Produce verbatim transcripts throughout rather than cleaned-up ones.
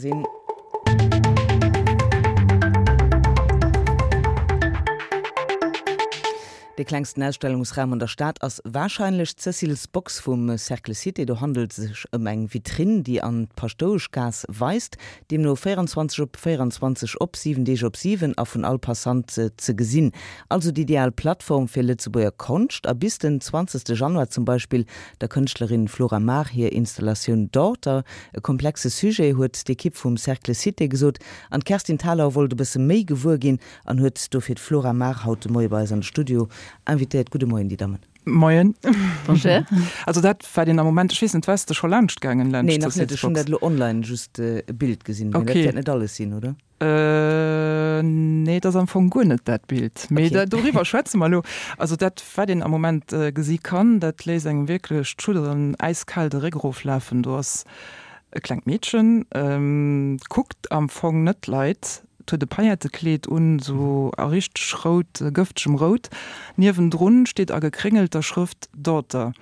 Sinn. Dee klengsten Ausstellungsraum an der Stad ass warscheinlech d'Cécile's Box vum Cercle Cité. Do handelt et sech ëm eng Vitrinn, déi an d'Paschtoueschgaass weist, deemno véierundzwanzeg op véierundzwanzeg op, siwen Deeg op siwen a vun all Passant ze gesinn. Also déi ideal Plattform fir Lëtzebuerger Konscht. A bis den zwanzegste Januar zum Beispill der Kënschtlerin Flora Mar hir Installatioun Daughter. E komplexe Sujet, huet d'Ekipp vum Cercle Cité gesot. An d'Kerstin Thalau wollt e bësse méi gewuer ginn an huet dofir d'Flora Mar haut de Moie bei eis an de Studio invitéiert. Gudde Moien, déi Dammen. Moien. Bonjour. Also dat wat een am Moment, ech weess net, waars de scho laanscht gaangen laanscht Nee, nach net. Ech hunn dat elo online just e Bild gesinn. Mee dat Okay. wäert net alles sinn, oder? Äh, nee, dat ass am Fong guer net dat Bild. Mee Okay. dat, doriwwer schwätze mer elo. Also dat wat een am Moment äh, gesi kann, dat léisst engem wierklech d'Schudderen äiskal de Réck eroflafen. Do ass e klengt Meedchen, ähm, kuckt am Fong net d'Leit, huet e Paillettekleed un, sou a richteg rout, gëftegem Rout. Niewendrun steet a gekréngelter Schrëft Daughter.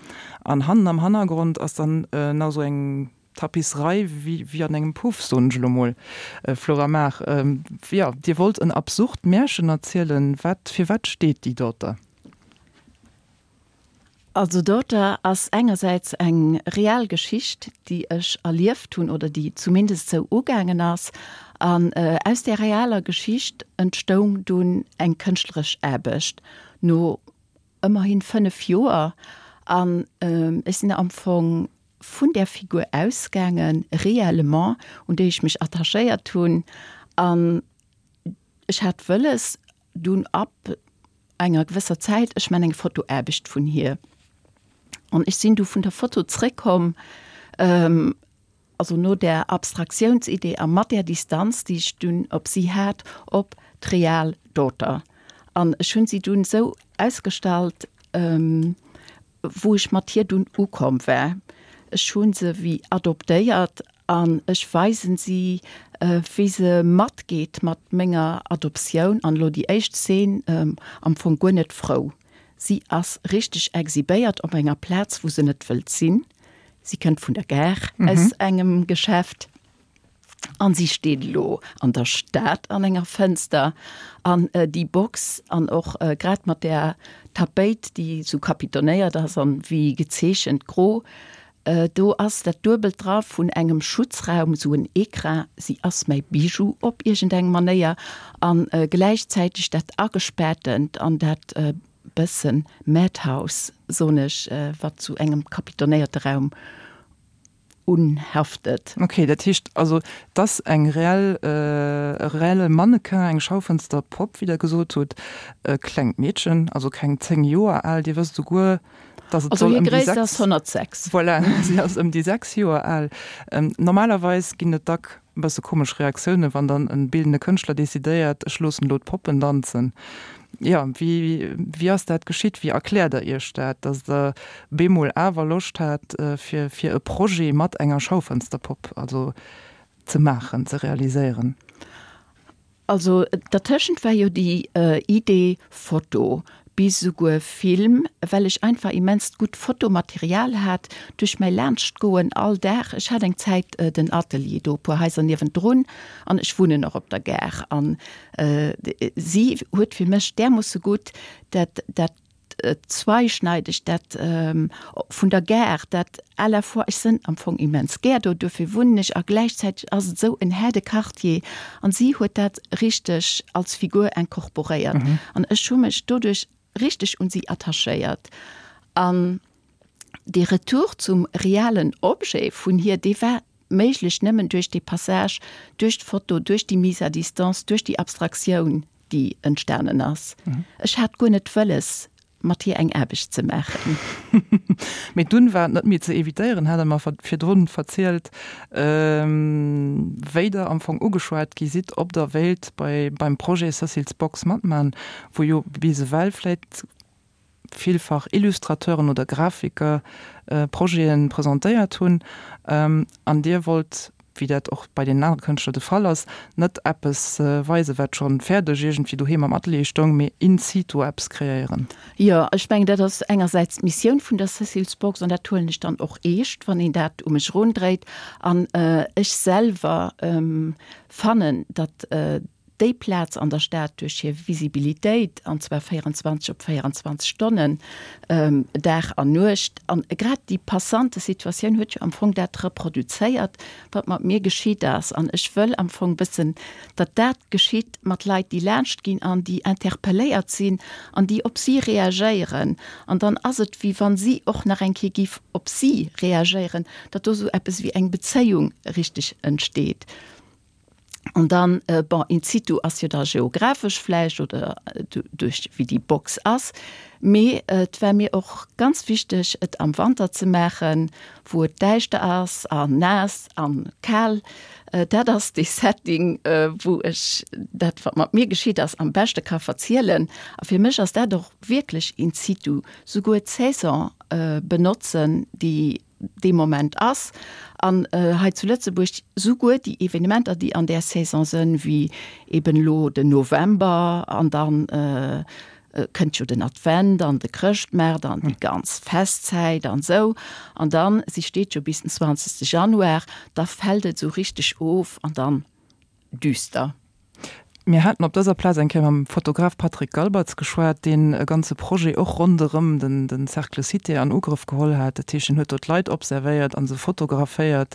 An hannen am Hannergrond ass dann nach sou eng Tapisserei wéi, wéi an engem Puff, soen ech elo mol. Flora Mar, jo, Dir wollt en absurd Märchen erzielen. Wat, fir wat steet déi Daughter? Also Daughter ass engersäits eng real Geschicht, déi ech erlieft hunn oder déi zumindest sou ugaangen ass. An aus där realer Geschicht entstoung dunn eng kënschtleresch Aarbecht no ëmmerhin fënnef Joer. An ech sinn am Fong vun där Figur ausgaangen, réellement, un déi ech mech attachéiert hunn. An ech hat wëlles dunn ab enger gewësser Zäit, ech man eng Fotoaarbecht vun hir. An ech sinn du vun der Foto zréckkomm, also no där Abstraktiounsidee a mat där Distanz, déi ech dunn op si hat, op d'real Daughter. An ech hunn si dunn esou ausgestallt, wou ech mat hir dunn ukomm war. Ech hu se wéi adoptéiert an ech weisen si, wéi se matgeet mat menger Adoptioun. An elo déi éischt Zeen, am Fong guer net frou. Si ass richteg exhibéiert op enger Plaz, wou se net wëllt sinn. Si kënnt vun der Gare aus engem Geschäft an si steet elo an der Stad an enger Fënster. An déi Box an och grad mat där Tapéit, déi sou kapitonéiert ass an wéi gezeechent gro, do ass dat Duebelt dra vun engem Schutzraum, sou en Écrin. Si ass mäi Bijou op iergendeng Manéier an gläichzäiteg dat Agespaartent an dat bëssen Madhouse, soen ech, wat zu engem kapitonéierte Raum unhaftet. Ok, dat heescht also, et ass eng reell, e reelle Mannequin, eng Schaufensterpopp, wéi Der gesot hutt, e klengt Meedchen, also keng zéng Joer al. Dir wësst esouguer, dass et Also soll hir ëm déi Gréisst sechs. ass honnertsechs. Voilà, si ass ëm déi sechs Joer al. Normalerweis ginn et dack e bësse komesch Reaktiounen, wann dann e bildende Kënschtler decidéiert, ech loossen elo d'Poppen danzen. Jo, wéi, wéi ass dat geschitt? Wéi erkläert Der Iech dat, datt Der bemol awer Loscht hat, fir, fir e Projet mat enger Schaufensterpopp also ze maachen, ze realiséieren? Also dertëschent war jo déi Idee Foto, bis esouguer Film, well ech einfach immenst gutt Fotomaterial hat duerch mäi Laanschtgoen all Dag. Ech hat eng Zäit den Atelier do e puer Haiser niewendrun an ech wunnen och op der Gare an si huet fir mech därmoosse gutt dat dat zweischneideg, dat vun der Gare, dat à la fois, ech sënn am Fong immens gär do, duerfir wunnen ech a gläichzäiteg ass et esou en herde Quartier an si huet dat richteg als Figur incorporéiert an ech hu mech doduerch richteg un si attachéiert. An dee Retour zum realen Objet vun hir, dee war méiglech nëmmen duerch dee Passage duerch d'Foto, duerch déi Mise à distance, duerch déi Abstraktioun, déi entstanen ass. Ech hat guer net wëlles, mat hir eng Aarbecht ze maachen. Mee dunn war et net méi ze evitéieren, hat Der mer virdrun verzielt, wéi Der am Fong ugeschwat gi sidd, ob Der wéilt bei beim Projet Cécile's Box matman, wou jo bis ewell vläit villfach Illustrateuren oder Grafiker Projete presentéiert hunn, an Dir wollt wéi dat och bei den anere Kënschtler de Fall ass, net eppes weisen, wat schonn fäerdeg iergendwéi doheem am Atelier stoung, mee in situ eppes kreéieren. Jo, ech mengen, dat ass engersäits d'Missioun vun der Cecil's Box an dat huelen ech dann och eescht, wann een dat u mech erundréit. An ech selwer fannen, datt déi Plaz an der Stad duerch hir Visibilitéit, an zwar véierundzwanzeg op véierundzwanzeg Stonnen, Dag an Nuecht, an grad déi Passantesituatioun huet jo am Fong dat reproduzéiert, wat mat mir geschitt ass. An ech wëll am Fong wëssen, datt dat geschitt mat Leit, déi laanscht ginn an déi interpelléiert sinn an déi op si reagéieren. An dann ass et, wéi wa si och nach eng Kéier géif op si reagéieren, datt do esou eppes wéi eng Bezéiung richteg entsteet. An dann, bon, in situ ass jo da geographesch vläicht oder duerch wéi déi Box ass, mee et war mir och ganz wichteg, et am Wanter ze maachen, wou et däischter ass an naass an kal. Dat ass dee Setting, wou ech dat, wat mat mir geschitt ass, am beschte ka verzielen. A fir mech ass dat och wierklech in situ, souguer d'Saison benotzen, déi dee Moment ass. An hei zu Lëtzebuerg souguer déi Evenementer, déi an där Saison sënn, wéi eben elo den November an dann kënnt jo den Advent an de Chrëschtmaart an déi ganz Festzäit an esou. An dann, si steet jo bis den zwanzegste Januar, da fält et esou richteg of an dann düster. Mir haten op dëser Plaz eng Kéier mam Fotograf Patrick Galbertz geschwat, deen e ganze Projet och ronderëm den den Cercle Cité an Ugrëff geholl hat. Dat heescht, en huet do d'Leit observéiert a se fotograféiert,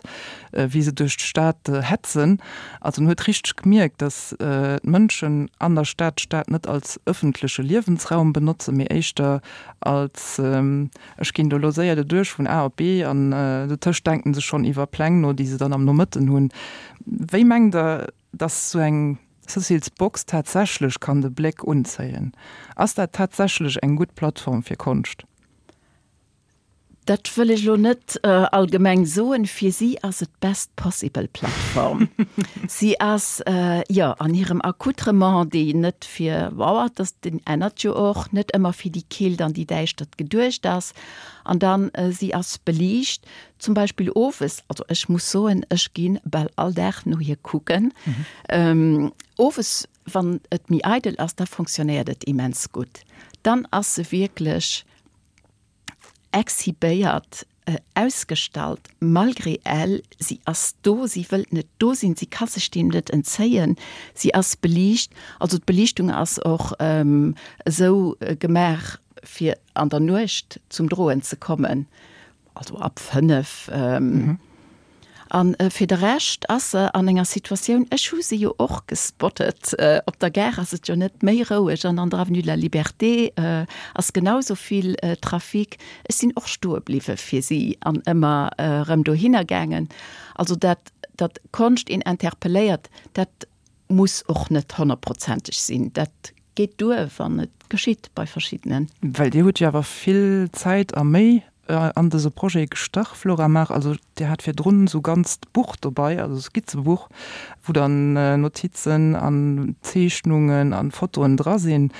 wéi se duerch d'Stad hetzen. Also en huet richteg gemierkt, datt d'Mënschen an der Stad d'Stad net als ëffentleche Liewensraum benotzen, mee éischter als ech ginn do elo séier doduerch vun A op B an dotëscht denken se schonn iwwer Pläng no, déi se dann am Nomëtten hunn. Wéi mengt Der, datt esou eng Cécile's Box tatsächlech kann de Bléck unzéien? Ass dat tatsächlech eng gutt Plattform fir Konscht? Dat wëll ech elo net allgemeng soen. Fir si ass et d'best possible Plattform. Si ass, jo, an hirem Accoutrement, déi net fir, wow, dat deen ännert jo och, net ëmmer fir déi Keelt an déi Däischtert geduecht ass. An dann, si ass beliicht, zum Beispill owes, also ech muss soen, ech gi bal all Dag no hir kucken. Owes, wann et méi eidel ass, da fonctionnéiert et immens gutt. Dann ass se wierklech exhibéiert, ausgestallt, malgré elle, si ass do, si wëllt net do sinn, si ka sech deem net entzéien, si ass beliicht. Also d'Beliichtung ass och esou gemaach, fir an der Nuecht zum Droen ze kommen, also ab fënnef. An fir de Rescht ass se an enger Situatioun, ech hu se jo och gespottet, op der Gare ass et jo net méi roueg an an der Avenue de la Liberté ass genau sou vill Trafic. Ech sinn och stoe bliwwe fir si an ëmmer erëm dohinner gaangen. Also dat, datt Konscht een interpelléiert, dat muss och net honnertprozenteg sinn. Dat geet duer, wann et geschitt bei verschiddenen. Well Dir hutt jo awer vill Zäit a Méi an dëse Projet gestach, Flora Mar. Also Dir hat virdrun esou ganzt Buch dobei, also Skizzebuch, wou dann Notizen an Zeechnungen an Fotoen dra sinn.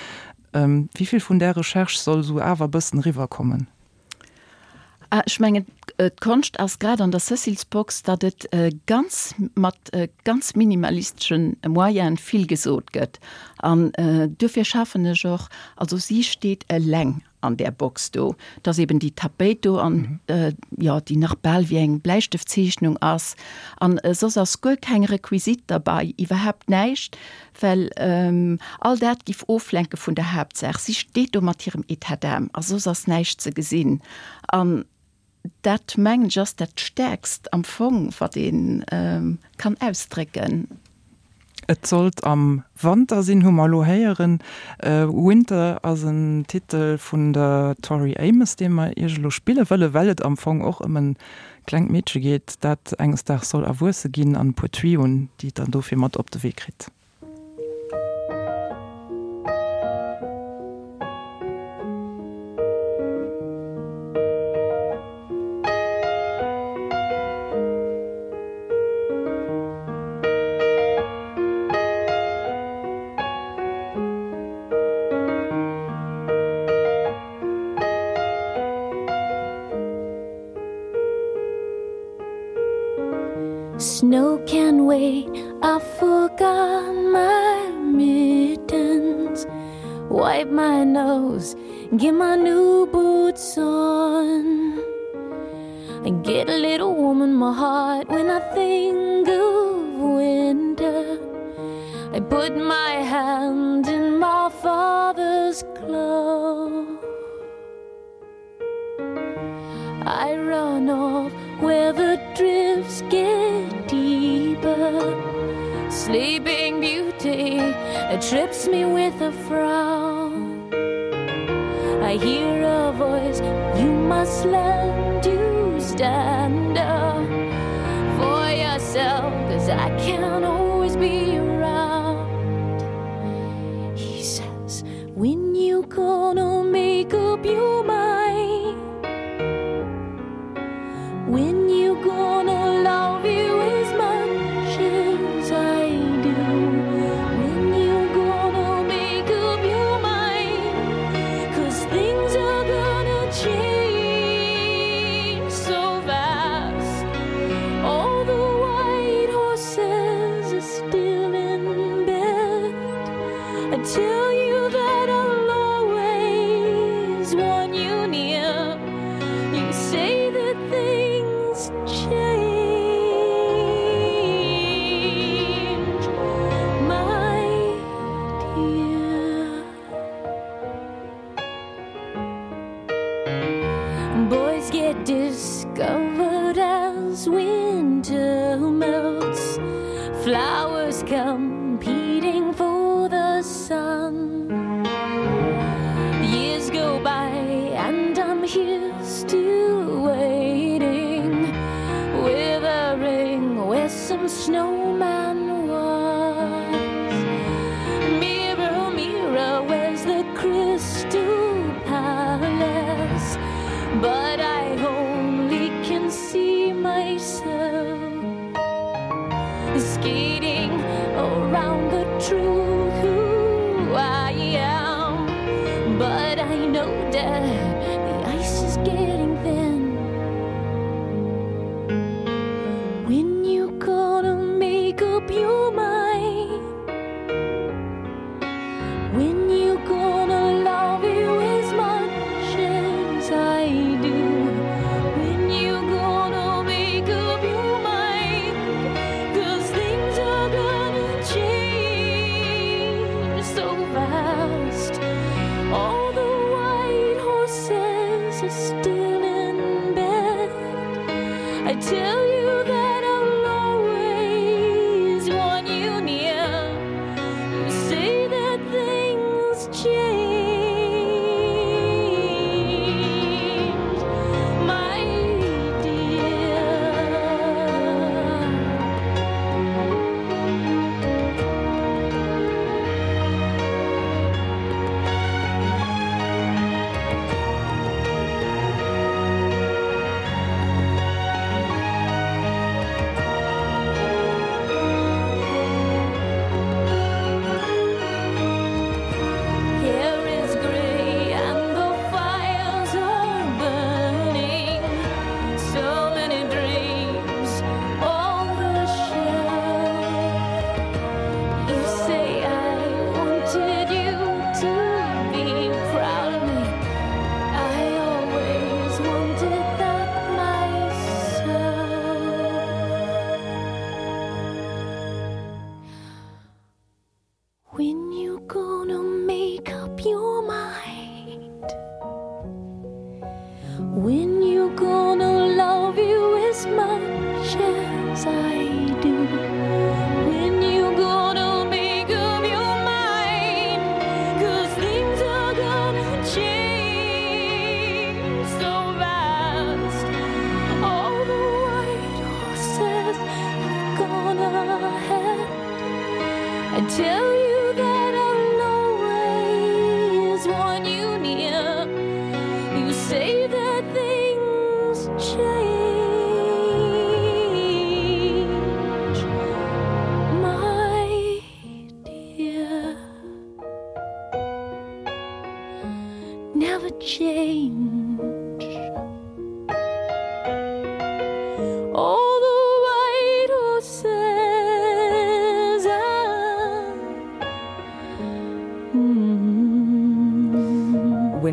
Wéi vill vun där Recherche soll esou awer e bëssen eriwwerkommen? Ech mengen, d'Konscht ass grad an der Cecil's Box, datt et ganz mat ganz minimalistesche Moyene vill gesot gëtt. An duerfir schaffen ech och, also si steet eleng an där Box do, et ass eben déi Tapéit do an jo, déi nach bal wéi eng Bläistëftzeechnung ass. An soss ass guer keng Requisite derbei, iwwerhaapt näischt, well all dat giff oflenke vun der Haaptsaach. Si steet do mat hirem État d'âme a soss ass näischt ze gesinn. An dat, mengen ech, ass dat Stäerkst am Fong, wat ee kann ausdrécken. Et sollt am Wanter sinn, hu mer elo héieren. Winter ass en Titel vun der Tori Amos, dee mer Iech elo spille wëllen, well et am Fong och ëm e klengt Meedche geet, dat enges Daags soll erwuesse ginn an e puer Tuyauxen, déi et dann dofir mat op de Wee kritt. Snow Wait, I forgot my mittens. Wipe my nose, get my new boots on. I get a little warm in my heart when I think of winter. I put my hand in my father's glove. I run off where the drifts get deeper. Sleeping Beauty trips me with a frown. I hear a voice, you must learn to stand up for yourself, cause I can't always be around. He says, when you gonna make up your mind? When you gonna love you as much as I do? When you gonna make up your mind? Cause things are gonna change so fast. All the white horses are still in bed. I tell you that I'll always want you near. You say that things change, my dear. Boys get discovered as winter melts. Flowers competing for the sun. Years go by and I'm here still waiting with a ring where some snowman was. Mirror, mirror, where's the crystal palace? But I only can see myself skating around the truth who I am. But I know that the ice is getting thin. When you gonna make up your mind? When you gonna love you as much as I do? When you gonna make up your mind? Cause things are gonna change so fast. All the white horses are still in bed. I tell you that I'll always want you near. You say that things change, my dear. Hair is gray and the fires are burning. So many dreams on the shelf. You say I wanted you to be proud of me. I always wanted that myself. When you gonna make up your mind? When you gonna love you as much as I do? When you gonna make up your mind? Cause things are gonna change so fast. All the white horses have gone ahead. I tell you that I'll always want you near. You say that things change, my dear. Never change. All the white horses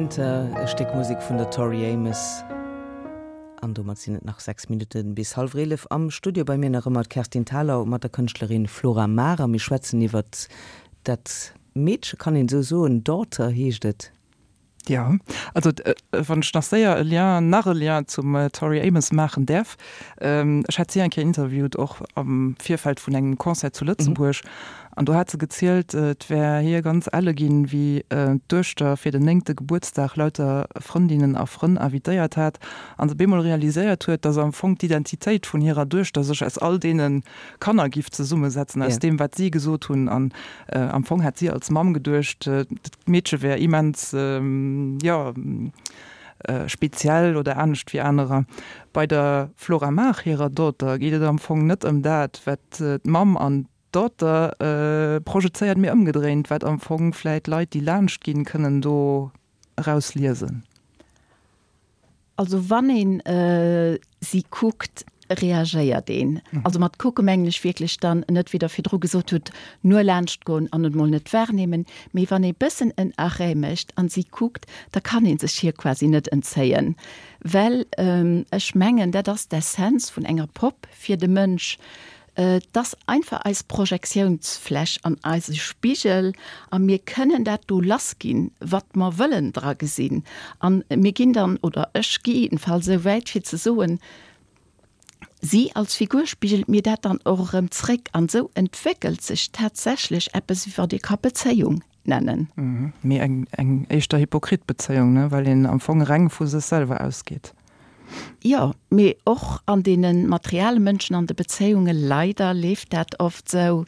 Winter, e Stéck Musek vun der Tori Amos. An domat sinn et nach sechs Minutte bis hallwer eelef. Am Studio bei mir nach ëmmer d'Kerstin Thalau mat der Kënschtlerin Flora Maar a mir schwätzen iwwer dat Meedche, kann een esou soen, Daughter heescht et. Jo, also wann ech nach séier e Lien, nach e Lien zum Tori Amos maachen däerf, Ech hat si eng Kéier interviewt, och am Virfeld vun engem Concert zu Lëtzebuerg, an do hat se gezielt, et wär hir ganz elle ginn, wéi d'Duechter fir den néngte Gebuertsdag lauter Frëndinnen a Frënn invitéiert hat an se bemol realiséiert huet, dass am Fong d'Identitéit vun hirer Duechter sech aus all deene Kanner giff zesummesetzen, aus deem, wat si gesot hunn. An am Fong hätt si als Mamm geduecht, d'Meedche wär immens, jo, speziell oder anescht wéi anerer. Bei der Flora Maag hirer Daughter geet et am Fong net ëm dat, wat d'Mamm an d'Daughter projezéiert, mee ëmgedréint, wat am Fong vläit Leit, déi laanscht ginn, kënnen do erausliesen. Also wann een si kuckt, reagéiert een. Also mat kucke mengen ech wierklech dann net, wéi Der virdru gesot hutt, nur laanscht goen an et mol net wahrnehmen, mee wann ee bëssen en Arrêt mécht an si kuckt, da kann ee sech hir quasi net entzéien. Well ech mengen, dat ass d'Essenz vun enger Popp fir de Mënsch, Et ass einfach eis Projektiounsfläch an eise Spigel a mir kënnen dat do lassginn, wat mer wëllen dra gesinn. A mir ginn dann, oder ech gi jiddenfalls esou wäit fir ze soen, si als Figur spigelt mir dat dann och erëm zréck. An esou entwéckelt sech tatsächlech eppes, wat ee ka Bezéiung nennen. Mee eng eng éischter hypokrit Bezéiung, ne, well een am Fong reng vu sech selwer ausgeet. Jo, mee och an deene materiale Mënschen an de Bezéiunge leider leeft dat oft sou.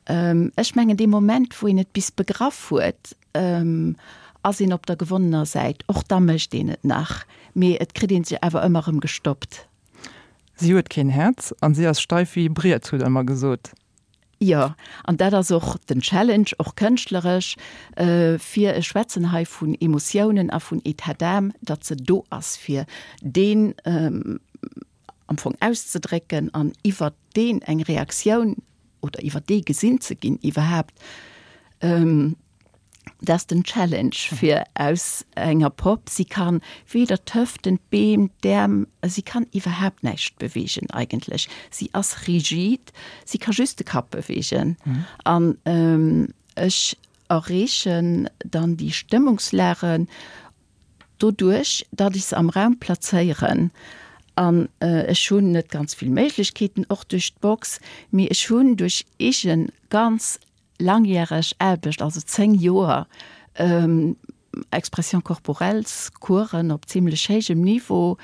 Ech mengen dee Moment wou een et bis begraff huet, ass een op der gewonnener Säit. Och da mécht een et nach, mee et kritt een sech awer ëmmer erëm gestoppt. Si huet keen Häerz an si ass steif wéi e Briet, hutt Der ëmmer gesot. Jo, an dat ass och den Challenge, och kënschtleresch, fir, ech schwätzen hei vun Emotiounen a vun État d'âme, datt se do ass, fir deen am Fong auszedrécken an iwwert deen eng Reaktioun oder iwwer dee gesinn ze ginn iwwerhaapt. Dat ass den Challenge fir aus enger Popp. Si kann weder d'Hëften, d'Been, d'Äerm, si kann iwwerhaapt näischt beweegen eigentlech. Si ass rigid, si ka just de Kapp beweegen. An ech erreechen dann déi Stëmmungslagen doduerch, datt ech se am Raum plazéieren. An ech hunn net ganz vill Méiglechkeeten, och duerch d'Box, mee ech hunn duerch eege ganz langjäreg Aarbecht, also zéng Joer Expression corporelles Coursen op zimlech héijem Niveau,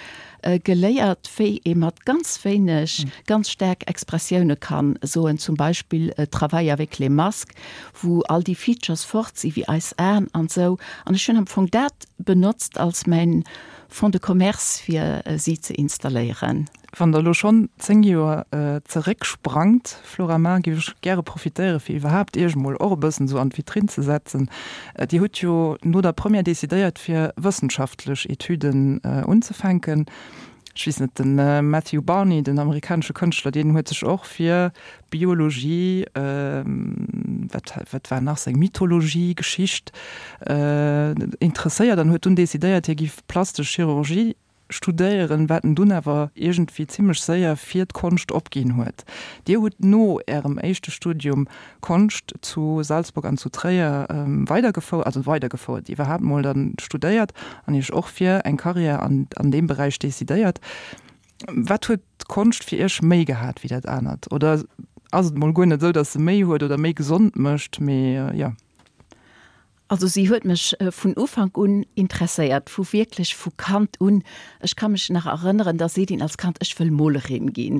geléiert, wéi ee mat ganz wéineg ganz staark Expressioune kann soen, zum Beispill Travail avec les masques, wou all déi Features fort si wéi eis Aen an esou. An ech hunn am Fong dat benotzt als mäin Fonds de commerce fir si ze installéieren. Wann Der elo schonn zéng Joer zerécksprangt, Flora Ma, géif ech gäre profitéiere fir iwwerhaapt Iech emol och e bëssen esou an d'Vitrinn ze setzen. Dir hutt jo no der Première decidéiert fir wëssenschaftlech Etüden unzefänken. Ech weess net, de Matthew Barney, den amerikanesche Kënschtler, deen huet sech och fir Biologie, wat wat war nach seng, Mythologie, Geschicht interesséiert an huet dunn decidéiert, hie giff plastesch Chirurgie studéieren, wat en dunn awer iergendwéi zimmlech séier fir d'Konscht opginn huet. Dir hutt no Ärem éischte Studium Konscht zu Salzburg an zu Tréier weidergefouert, also weidergefouert, iwwerhaapt mol dann studéiert an Iech och fir eng Karriär an an deem Beräich decidéiert. Wat huet d'Konscht fir Iech méi gehat wéi dat anert? Oder ass et mol guer net esou, datt se méi huet oder méi gesond mécht, mee jo. Also si huet mech vun Ufank un interesséiert, vu wierklech vu Kand un. Ech ka mech nach erënneren, da seet een als Kand, ech wëll Molerin ginn.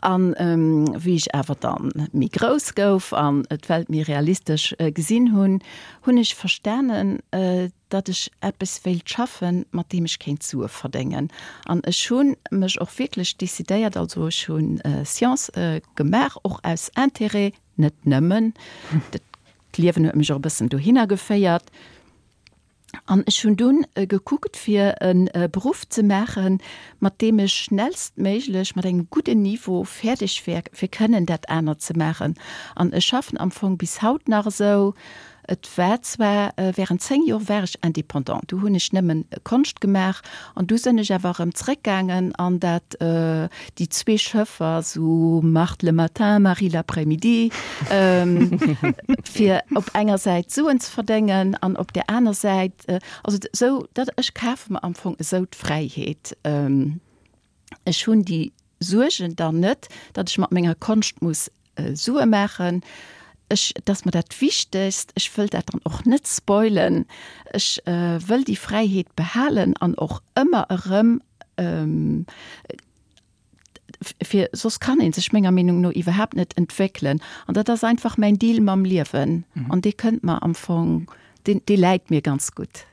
An wéi ech awer dann méi grouss gouf an d'Welt méi realistesch gesinn hunn, hunn ech verstanen, datt ech eppes wéilt schaffen, mat deem ech kéint Sue verdéngen. An ech hu mech och wierklech decidéiert, also ech hu Sciences gemaach, och aus Intérêt, net nëmmen. D'Liewen huet mech och e bëssen dohinner geféiert. An ech hunn dunn gekuckt, fir e Beruff ze maachen, mat deem ech schnellstméiglech mat engem gudden Niveau fäerdeg wär, fir kënnen dat anert ze maachen. An ech schaffen am Fong bis haut nach esou. Et war zwar während zéng Joer war ech indépendant, du hunn ech nëmmen Konscht gemaach an du sinn ech awer erëm zréckgaangen an dat déi zwee Schëffer, sou Marthe le matin, Marie l'après-midi, fir op enger Säit Suen ze verdéngen an op där aner Säit, also sou dat ech kafe mer am Fong esou d'Fräiheet. Ech hunn déi Suergen dann net, datt ech mat menger Konscht muss Sue maachen. Ech, et ass mer dat Wichtegst, ech wëll dat dann och net spoilen. Ech wëll déi Fräiheet behalen an och ëmmer erëm, fir soss kann ee sech menger Meenung no iwwerhaapt net entwéckelen. An dat ass einfach mäin Deal mam Liewen an dee kënnt mer am Fong, deen, dee läit mir ganz gutt.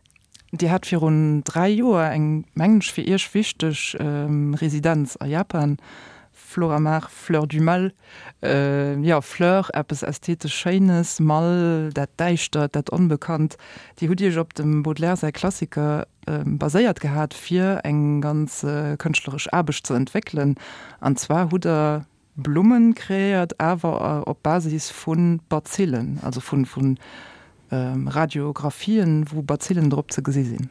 Dir hat virun dräi Joer eng, mengen ech, fir Iech wichteg Residenz a Japan, Flora Mar, Fleur du Mal. Jo, Fleur, eppes ästhetesch Schéines, Mal, dat Däischtert, dat Onbekannt. Dir hutt Iech op dem Baudelaire säi Klassiker baséiert gehat, fir eng ganz kënschtleresch Aarbecht ze entwéckelen. An zwar hutt Der Blummen kreéiert, awer op Basis vu Bazillen, also vu Radiographien, wou Bazillen drop ze gesi sinn.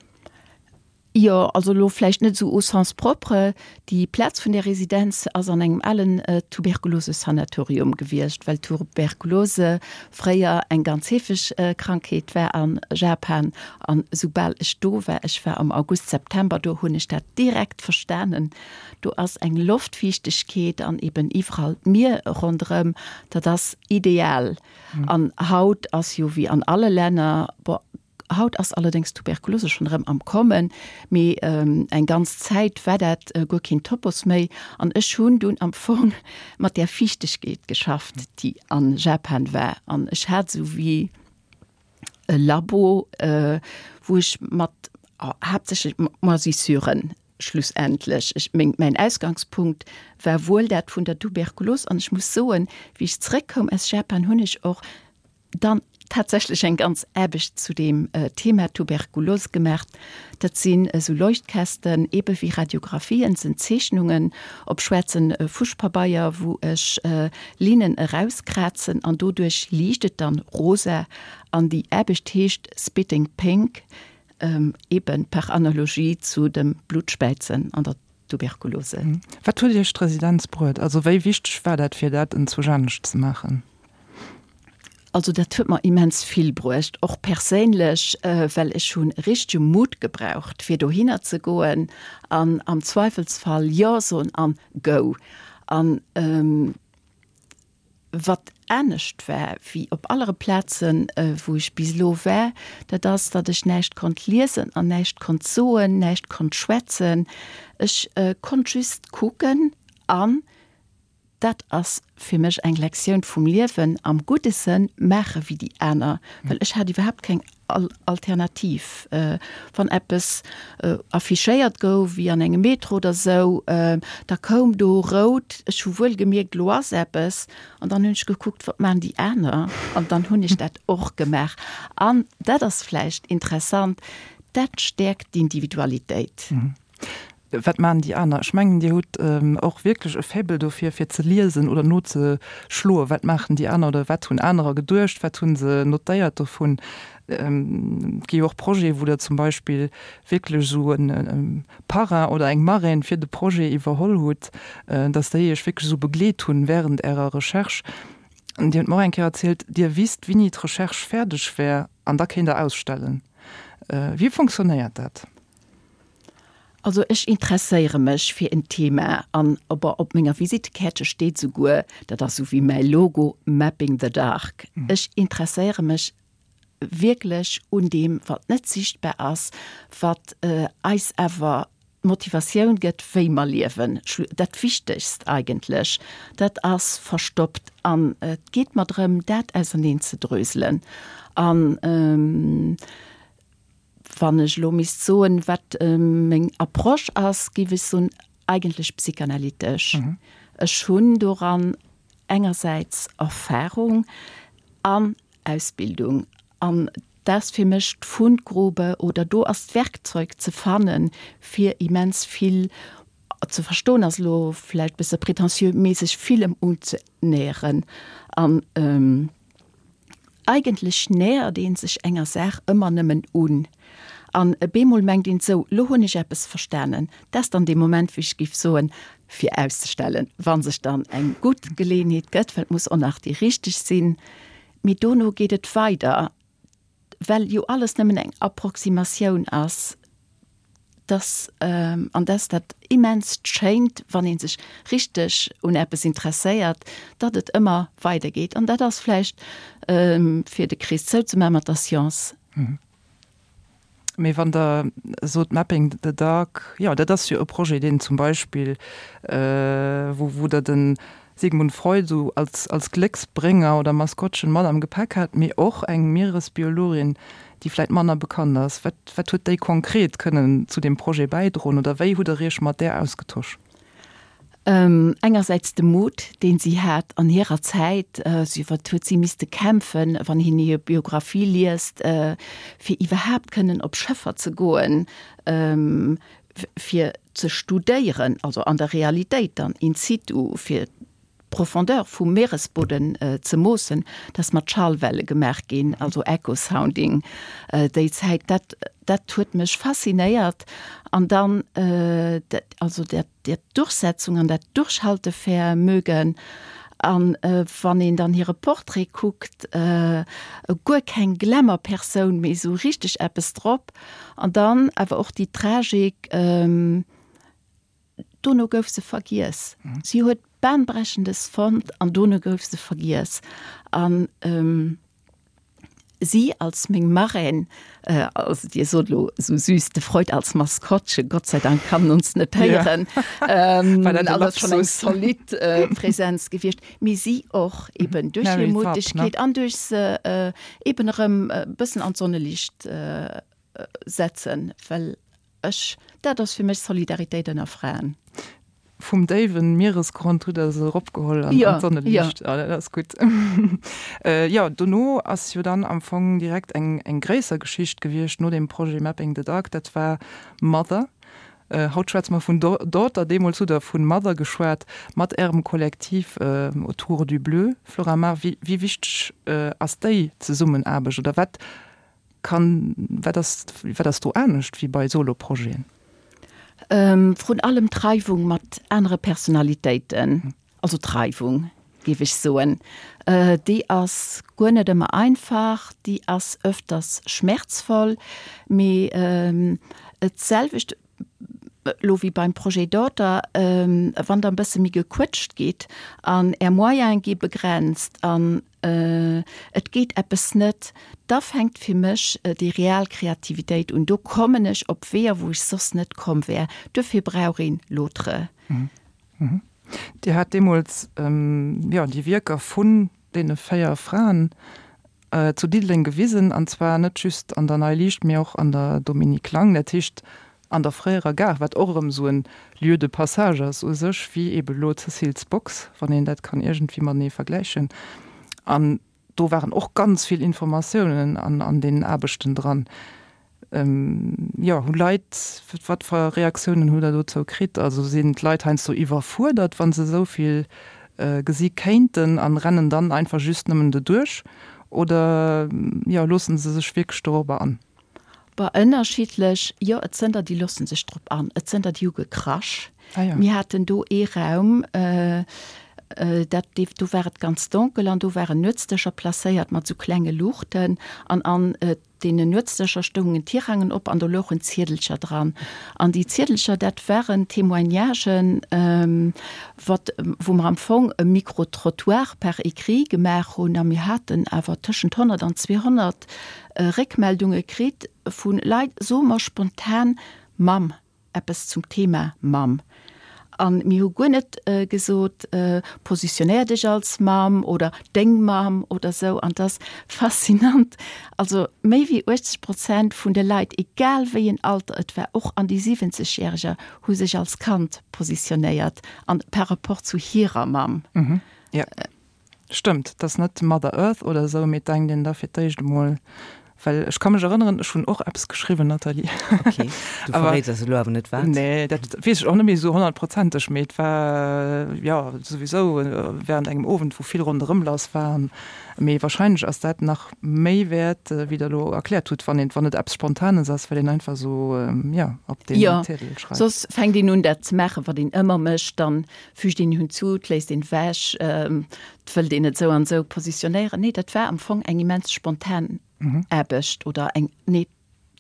Jo, also elo vläicht net esou au sens propre. Déi Plaz vun där Residenz ass an engem alen Tuberkulosesanatorium gewiescht, well Tuberkulose fréier eng ganz heefeg Krankheet war a Japan. An esoubal ech do war, ech war am August, September do, hunn ech dat direkt verstanen. Do ass eng Loftfiichtegkeet an eben iwwerall d'Mier ronderëm, dat ass ideal. An haut ass jo wéi an alle Länner, bon, haut ass allerdéngs d'Tuberkulose schonn erëm am Kommen, mee eng ganz Zäit war dat guer keen Topos méi. An ech hunn dunn am Fong mat där Fiichtegkeet geschafft, déi a Japan war. An ech hat esou wéi e Labo, wou ech mat haaptsächlech mat Moisissuren schlussendlech, ech meng, mäin Ausgangspunkt war wuel dat vun der Tuberkulos. An ech muss soen, wéi ech zréckkoum aus Japan, hunn ech och dann tatsächlech eng ganz Aarbecht zu deem Thema Tuberkulos gemaach. Dat sinn esou Leuchtkästen, ebe wéi Radiographien, sinn Zeechnungen op schwaarze Fuschpabeier, wou ech Linnen erauskrazen an doduerch liicht et dann rosa. An déi Aarbecht heescht Spitting Pink, eben par Analogie zu dem Blutspäizen an der Tuberkulose. Wat huet Iech d'Residenz bruet? Also wéi wichteg war dat, fir dat enzwousch anescht ze maachen? Also dat huet mer immens vill bruecht, och perséinlech, well ech hunn richtege Mut gebraucht, fir dohinner ze goen an am Zweifelsfall Jo soen an Go. An wat anescht war wéi op allere Plazen, wou ech bis elo war, dat ass, datt ech näischt konnt liesen an näischt konnt soen, näischt konnt schwätzen. Ech konnt just kucken an Dat ass fir mech eng Lektioun vum Liewen am gudde Sënn, maache wéi déi aner, well ech hat iwwerhaapt keng Alternativ. Wann eppes affichéiert gouf, wéi an engem Metro oder esou, da koum do rout, ech hu wuel gemierkt, elo ass eppes, an dann hunn ech gekuckt, wat maachen déi aner, an dann hunn ech dat och gemaach. An dat ass vläicht interessant, dat stäerkt d'Individualitéit. Wat maachen déi aner? Ech mengen, Dir hutt och wierklech e Faible dofir, fir ze liesen oder nozeschloen, wat maachen déi aner oder wat hunn anerer geduecht, wat hu se notéiert dovun. Et gi jo och Projete, wou Der zum Beispill wierklech esou e Parrain oder eng Marraine fir de Projet iwwerholl hutt, dass déi Iech wierklech esou begleet hunn während Ärer Recherche. An Dir hutt mer och eng Kéier erzielt, Dir wisst, wéini d'Recherche fäerdeg wär an da kéint Der ausstellen. Wéi funktionéiert dat? Also ech interesséiere mech fir en Thema an op op menger Visittekäertche steet souguer, dat ass sou wéi mäi Logo, Mapping the Dark. Ech interesséiere mech wierklech un deem, wat net sichtbar ass, wat eis awer d'Motivatioun gëtt, wéi mer liewen. Dat Wichtegst eigentlech, dat ass verstoppt an et geet mer drëm, dat auserneen ze dröselen. An Wann ech elo misst soen, wat meng Approche ass, géif ech soen, eigentlech psychanalytesch. Ech hunn doran engersäits Erfahrung an Ausbildung. An dat ass fir mech d'Fundgrube oder do ass d'Werkzeug ze fannen, fir immens vill ze verstoen, ass elo vläicht e bësse prétentieux, mee sech villem unzenäheren. An Eigentlech nähert een sech enger Saach ëmmer nëmmen un. An bemol mengt een, sou, lo hunn ech eppes verstanen. Dat ass dann dee Moment, wou ech géif soen, fir auszestellen, wa sech dann eng gutt Geleeënheet gëtt, well et muss och nach déi richteg sinn. Mee dono geet et weider, well jo alles nëmmen eng Approximatioun ass. Dass, an dass dat immenst Schéint, wann ee sech richteg un eppes interesséiert, datt et ëmmer weidergeet. An dat ass vläicht, fir de Krees zouzemaachen, mat der Science. Mee wann Der sot Mapping the Dark, jo, dat ass jo e Projet, deen zum Beispill, wou, wou Der de Sigmund Freud esou als, als Glécksbrénger oder Maskottchen mat am Gepäck hat, mee och eng Mieresbiologin, déi vläit manner bekannt ass. Wat, wat huet déi konkret kënnen zu deem Projet bäidroen oder wéi hutt Der Iech mat där ausgetosch? Engersäits de Mut, deen si hat an hirer Zäit, si, wat huet si misste kämpfen, wann een hir Biographie liest, fir iwwerhaapt kënnen op Schëffer ze goen, fir ze studéieren, also an der Realitéit dann in situ, fir d'Profondeur vum Meeresbudden ze moossen, dat ass mat Schallwelle gemaach ginn, also Echo-Sounding déi Zäit. Dat, dat huet mech faszinéiert. An dann, also dat, dat Durchsetzung an dat Durchhaltevermögen. An wann een dann hire Portrait kuckt, guer keng Glamour-Persoun, mee esou richteg eppes drop. An dann awer och déi Tragik, Dono gouf se vergiess. Si huet Bahnbrechendes fonnt an dono gouf se vergiess. An si als meng Marraine, also Dir sot elo esou süß, de Freud als Maskottche, Gott sei Dank kann en ons net héieren, also ass schonn eng zolidd Präsenz gewiescht, mee si och eben duerch hir Mutegkeet an duerch se eben erëm e bëssen an d'Sonneliicht setzen, well Ech, dat ass fir mech Solidaritéit ënner Fraen. Vum déiwen Mieresgrond hutt der se eropgeholl an d'Sonneliicht. Ja, dat ass gutt. Jo, dono ass jo dann am Fong direkt eng eng gréisser Geschicht gewiescht no deem Projet Mapping the Dark, dat war Mother. Haut schwätze mer vun Daughter, deemools hutt der vun Mother geschwat mat Ärem Kollektiv Autour du Bleu. Flora Mar, wéi wéi wichteg ass déi Zesummenaarbecht oder wat Kann, wat ass, wat ass do anescht wéi bei Solo-Projeten? Vrun allem d'Reiwung mat anere Personalitéiten, also d'Reiwung, géif ech soen, déi ass guer net ëmmer einfach, déi ass öfters schmerzvoll, mee et selwecht elo wéi beim Projet Daughter, wann Der e bësse méi gequëtscht gitt an Är Moyene gi begrenzt an et geet eppes net, da fänkt fir mech déi real Kreativitéit un. Do kommen ech op Weeër, wou ech soss net komm wär. Duerfir brauch een l'autre. Dir hat deemools, jo, déi Wierker vun deene véier Fraen zu Diddeleng gewisen, an zwar net just an der Nei Liicht, mee och an der Dominique Lang, dat heescht an der fréierer Gare, wat och erëm esou en Lieu de passage ass u sech, wéi eebe elo d'Cécile's Box, wann een dat kann iergendwéi matenee vergläichen. An do waren och ganz vill Informatiounen an an deenen Aarbechten dran. Jo, hu Leit, wat fir Reaktiounen hutt Der dozou kritt? Also sinn d'Leit heiansdo iwwerfuerdert, wa se esou vill gesi kéinten an rennen dann einfach just nëmmen doduerch oder, jo, loosse se sech wierklech dorobber an? Bah, ënnerschiddlech. Jo, et sënn der, déi loosse sech drop an. Et sënn der, déi hu gekrasch. Ah ja. Mir haten do ee Raum, dat, do war et ganz donkel an do waren Nuetsdëscher placéiert mat sou klenge Luuchten an an deenen Nuetsdëscher stoungen Tirangen op an do louchen Ziedelcher dran. An déi Ziedelcher, dat waren Témoignagen, wat, wou mer am Fong e Micro-trottoir par écrit gemaach hunn a mir haten awer tëschent honnert an zweehonnert Réckmeldunge kritt vu Leit, soe mer spontan Mamm, eppes zum Thema Mamm. A mir hu guer net gesot, positionéier dech als Mamm oder deng Mamm oder esou. An et ass faszinant, also méi wéi uechtzeg Prozent vun de Leit, egal wéi en Alter et war, och an déi siwwenzegjäreger, hu sech als Kand positionéiert an par rapport zu hirer Mamm. Stëmmt, et ass net Mother Earth oder esou, mee et denkt een da fir d'éischt emol Well ech ka mech erënneren, ech hunn och eppes geschriwwen, Nathalie. Okay, du verréits eis elo awer net wat. Nee, dat weess ech och net méi esou honnertprozenteg, mee et war, jo, souwisou während engem Owend, wou vill ronderëm lass war. Mee wahrscheinlech ass dat nach méi wäert, wéi Der elo erkläert hutt, wann een, wann et eppes Spontanes ass, well een einfach esou, jo, op deen Jo, Ziedel schreift. soss fänkt een un dat ze maachen, wat een ëmmer mécht, dann fügt een hinzu, et léisst een ewech, et wëllt een et esou an esou positionéieren. Nee, dat war am Fong eng immens spontan Aarbecht oder eng, nee,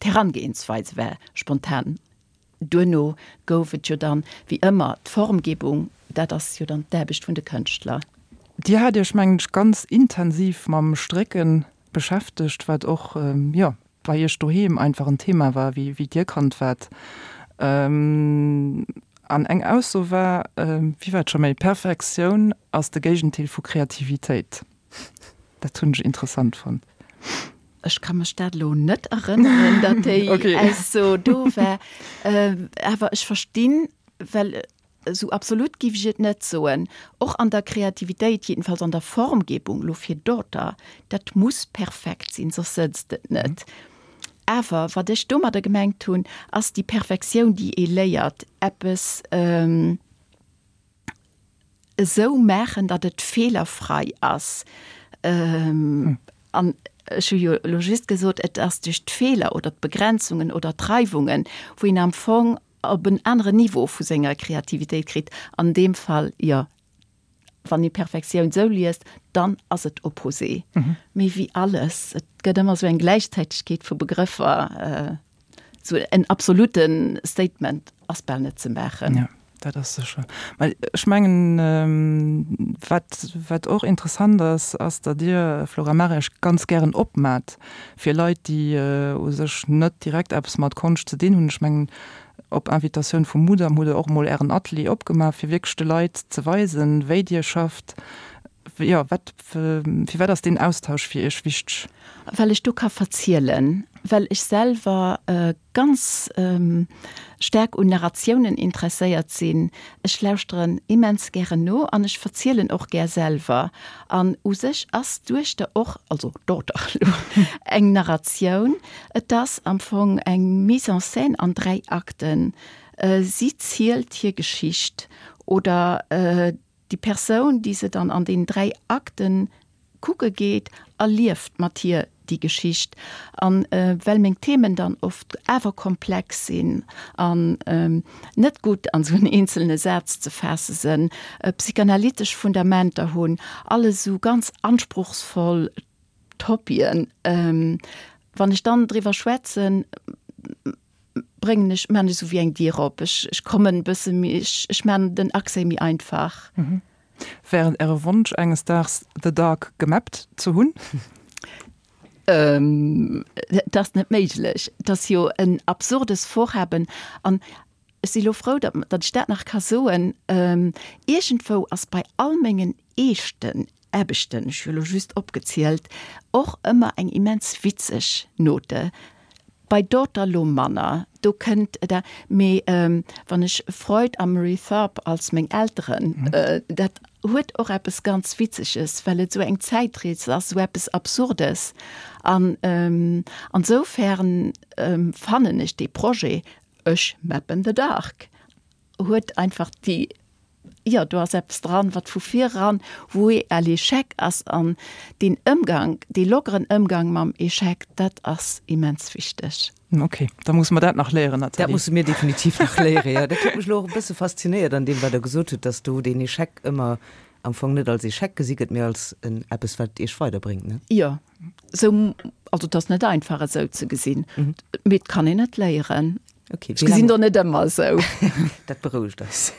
d'Herangehensweise war spontan. Duerno gouf et jo dann, wéi ëmmer, d'Formgebung, dat ass jo dann d'Aarbecht vun de Kënschtler. Dir hat Iech, mengen ech, ganz intensiv mam Strécken beschäftegt, wat och, jo, bei Iech doheem einfach en Thema war, wéi, wéi Dir Kand waart. An eng Ausso war, wéi war et scho méi, Perfektioun ass de Géigentil vu Kreativitéit. Dat hunn ech interessant fonnt. Ech ka mech dat elo net erënneren, datt déi Ausso do war. Awer ech verstinn, well esou absolut giff ech et net soen, och an der Kreativitéit, jedenfalls an der Formgebung, elo fir Daughter, dat muss perfekt sinn, soss sëtzt et net. Awer wat ech domadder gemengt hunn, ass déi Perfektioun, déi ee léiert, eppes esou maachen, datt et feelerfrei ass. An ech hu jo elo just gesot, et ass duerch d'Feeler oder d'Begrenzungen oder d'Reiwungen, wou een am Fong op en aneren Niveau vu senger Kreativitéit kritt. An deem Fall, jo, wann ee Perfektioun esou liest, dann ass et opposé. Mee wéi alles, et gëtt ëmmer esou eng Gläichzäitegkeet vu Begrëffer. Esou en absolute Statement ass bal net ze maachen. Jo, dat ass sécher. Mä ech mengen, wat, wat och interessant ass, ass, datt Dir, Flora Mare, Iech ganz gären opmaat fir Leit, déi u sech net direkt eppes mat Konscht ze dinn hunn. Ech mengen, op Invitatioun vum Mudam hutt Der och emol Ären Atelier opgemaach, fir wierklech de Leit ze weisen, wéi Dir schafft. Jo, wat, firwat ass deen Austausch fir Iech wichteg? Well ech do ka verzielen, well ech selwer ganz staark un Narratiounen interesséiert sinn. Ech lauschteren immens gären no an ech verzielen och gär selwer. An u sech ass d'Duechter och, also d'Daughter elo, eng Narratioun. Et ass am Fong eng Mise en scène an dräi Akten. Si zielt hir Geschicht oder Déi Persoun, déi se dann an den dräi Akten kucke geet, erlieft mat hir déi Geschicht. An well meng Themen dann oft awer komplex sinn an net gutt an esou en eenzelne Saz ze faasse sënn, psychanalytesch Fundamenter hunn, alles esou ganz anspruchsvoll Topien, wann ech dann driwwer schwätzen, bréngen ech, maan ech esou wéi eng Dier op. Ech, ech kommen e bësse méi, ech, ech maan den Accès méi einfach. Wär et Äre Wonsch enges Daags The Dark gemappt ze hunn? Et ass net méiglech. Et ass jo en absurdes Vorhaben an ech si lo frou, datt, datt ech dat nach ka soen. Iergendwou ass bei all mengen eeschten Aarbechten, ech hu lo just opgezielt, och ëmmer eng immens witzeg Note. Bei Daughter lo manner, do kënnt et a, mee wann ech Freud a Marie Tharp als meng Elteren, dat huet och eppes ganz Witzeges, well et esou eng Zäitrees ass, esou eppes Absurdes. An ansoufern fannen ech dee Projet, ech mappen the dark, huet einfach déi Jo, do ass eppes dran, wat vu vir eran voué à l'échec ass. An deen Ëmgang, dee lockeren Ëmgang mam Échec, dat ass immens wichteg. Ok, da musse mer dat nach léieren, Nathalie. Dat musse mir definitiv nach léieren, jo. Dat huet mech elo och e bësse faszinéiert an deem, wat Der gesot hutt, dass do deen Échec ëmmer am Fong net als Échec gesi gëtt, mee als en eppes, wat Iech weiderbréngt, ne? Jo, esou, also et ass net einfach esou ze gesinn, mee et kann een et léieren. Okay, Ech gesinn der net ëmmer esou. Dat berouegt eis.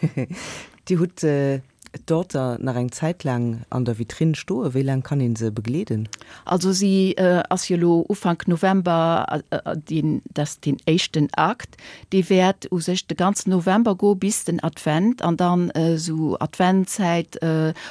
Dir hutt d'Daughter nach eng Zäit laang an der Vitrinn stoen. Wéi laang kann ee se begleeden? Also si ass jo elo Ufank November, deen, dat ass deen éischten Akt, dee wäert u sech de ganzen November goe bis den Advent an dann esou Adventzäit,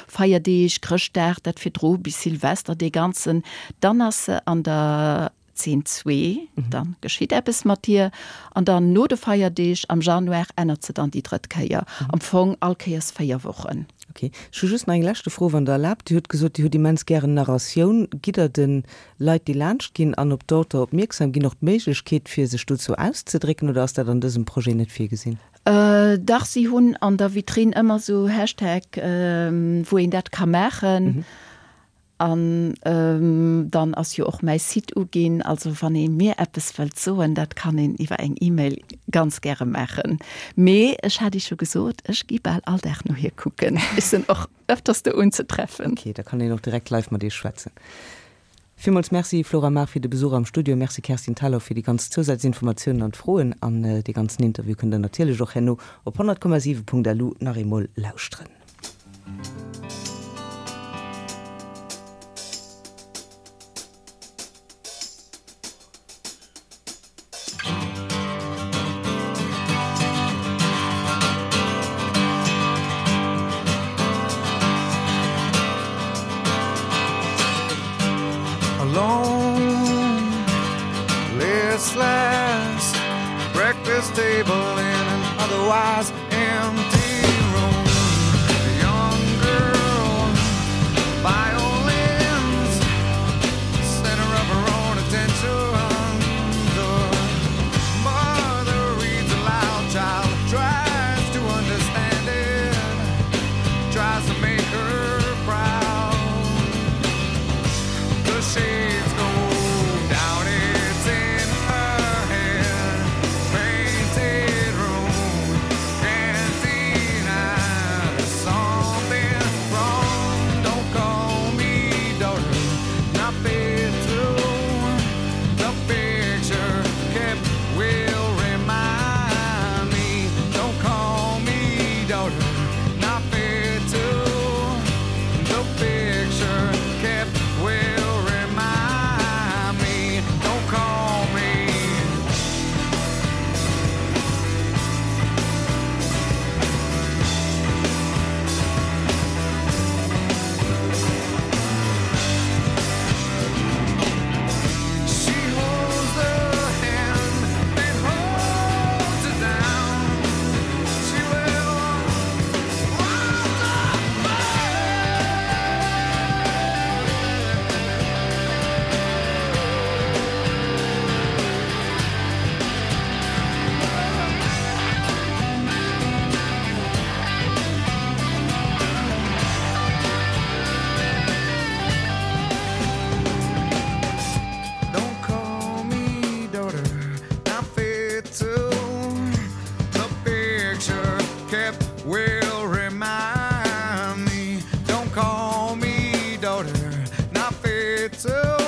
Feierdeeg, Chrëschtdag, dat virdru bis Silvester, dee ganzen, dann ass se an der Zeen zwee, dann geschitt eppes mat hir an dann no de Feierdeeg am Januar ännert se dann déi drëtt Kéier. Am Fong all Kéiers véier Wochen. Ok. Ech hu just nach eng leschte Fro, wann Der erlaabt. Dir hutt gesot, Dir hutt immens gären Narratioun. Gitt Der de Leit, déi laanscht ginn an op d'Daughter opmierksam ginn, och d'Méiglechkeet, fir sech dozou auszedrécken, oder ass dat an dësem Projet net virgesinn? Dach, si hunn an der Vitrinn ëmmer esou Hashtag, wou een dat ka maachen. An dann ass jo och mäi Site uginn. Also wann ee mir eppes wëllt soen, dat kann een iwwer eng E-Mail ganz gäre maachen. Mee ech hat Iech jo gesot, ech gi bal all Dag no hir kucken. Ech sinn och ëfters do unzetreffen. Ok, da kann een och direkt live mat Iech schwätzen. Villmools Merci Flora Maag fir de Besuch am Studio. Merci Kerstin Thalau fir déi ganz Zousazinformatiounen an d'Froen. An dee ganzen Interview kënnt der natierlech och herno op honnert Komma siwe Punkt lu nach eemol lauschteren. Alone, listless, breakfast table in an otherwise empty room. A young girl, violins, center of her own attention. The mother reads aloud, child tries to understand it, tries to make her proud. The shades go down, it's in her head. Painted room, can't deny there's something wrong. Don't call me daughter, not fit to. The picture kept will remind me. Don't call me daughter, not fit to. The picture kept will remind me. Don't call me. She holds the hand that holds it down. She will rise Don't call me daughter, not fit to. The picture kept will remind me. Don't call me daughter, not fit to.